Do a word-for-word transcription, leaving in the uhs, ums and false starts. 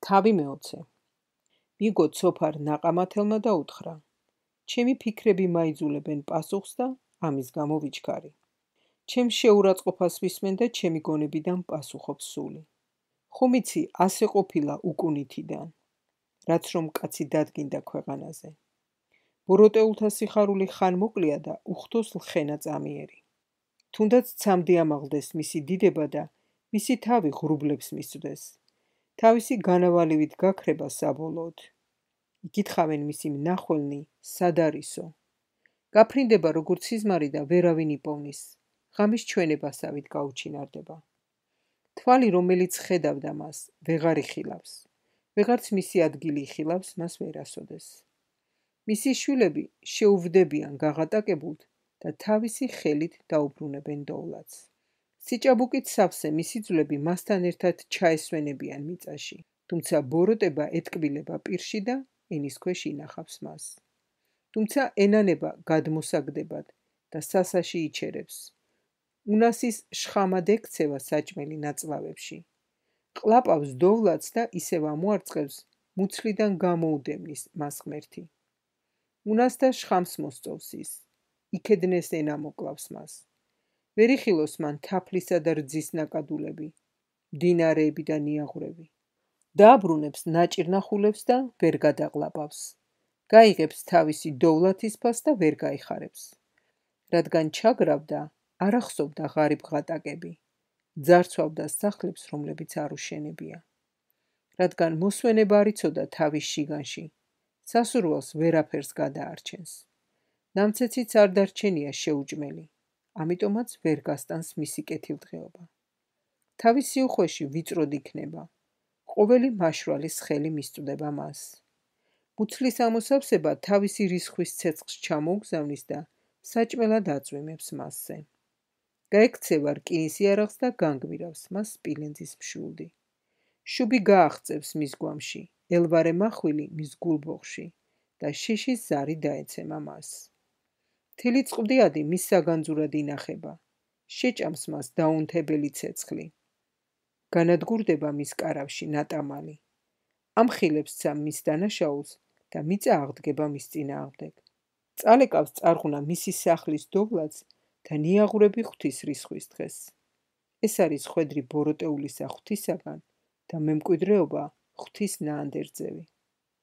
თავი მეოცე. მიგო ცოფარ ნაყამათელმა და უთხრა. ჩემი ფიქრები მაიძულებენ პასუხს და ამის გამო ვიჩქარი. ჩემ შეურაცხყოფას ვისმენ და ჩემი გონებიდან პასუხობს სული. ხომ იცი, ასე ყოფილა უკუნითიდან, რაც რომ კაცი დადგინდა ქვეყანაზე. ბოროტეულთა სიხარული ხან მოკლია და უხდოს ლხენა წამიერი. თუნდაც ცამდე ამაღლდეს მისი დიდება და მისი თავი ღრუბლებს მისვდეს. თავისი განავალივით გაქრება საბოლოოდ. იკითხავენ მისი მნახველნი, სად არისო. გაფრინდება როგორც სიზმარი და ვერავინ იპოვნის. ღამის ჩვენებასავით გაუჩინარდება. თვალი, რომელიც ხედავდა მას, ვეღარ იხილავს. ვეღარც მისი ადგილი იხილავს მას ვერასოდეს. მისი შვილები შეუვდებიან გაღატაკებულთ და თავისი ხელით დაუბრუნებენ დოვლათს. სიჭაბუკით სავსე მისი ძვლები მასთან ერთად ჩაესვენებიან მიწაში, თუმცა ბოროტება ეტკბილება პირში და ენის ქვეშ ინახავს მას. თუმცა ენანება გადმოსაგდებად და სასაში იჩერებს. უნასის შხამად ექცევა საჭმელი ნაწლავებში. ყლაპავს დოვლათს და ისევ ამოარწყევს მუცლიდან გამოუდევნის მას ღმერთი. უნას და შხამს მოსწოვს ის. იქედნეს ენა მოკლავს მას. ვერ იხილოს მან თაფლისა და რძის ნაკადულები, მდინარეები და ნიაღვრები. დააბრუნებს ნაჭირნახულებს და ვერ გადაყლაპავს. გაიღებს თავისი დოვლათის ფას და ვერ გაიხარებს. რადგან ჩაგრავდა, არ ახსოვდა ღარიბ ღატაკები. ძარცვავდა სახლებს, რომლებიც არ უშენებია. რადგან მოსვენება არ იცოდა თავის შიგანში, სასურველს ვერაფერს გადაარჩენს. ნამცეციც არ დარჩენია შეუჭმელი, ამიტომაც ვერ გასტანს მისი კეთილდღეობა. თავისი უხვეში ვიწროდ იქნება. ყოველი მაშვრალის ხელი მისწვდება მას. მუცლის ამოსავსება თავისი რისხვის ცეცხლს ჩამოუგზავნის და საჭმელად აწვიმებს მასზე. გაექცევა რკინის იარაღს და განგმირავს მას სპილენძის მშვილდი. შუბი გააღწევს მის გვამში, ელვარე მახვილი მის გულბოხში და შიშის ზარი დაეცემა მას. თილი წყვდიადი მის საგანძურად ინახება, შეჭამს მას დაუნთებელი ცეცხლი. განადგურდება მის კარავში ნატამალი. ამხილებს მის დანაშაულს და მიწა აღდგება მის წინააღმდეგ. წალეკავს წარღუნა მისი სახლის დოვლათს და ნიაღვრები ღვთის რისხვის დღეს. ეს არის ხვედრი ბოროტეულისა ღვთისაგან და მემკვიდრეობა ღვთის ნაანდერძევი.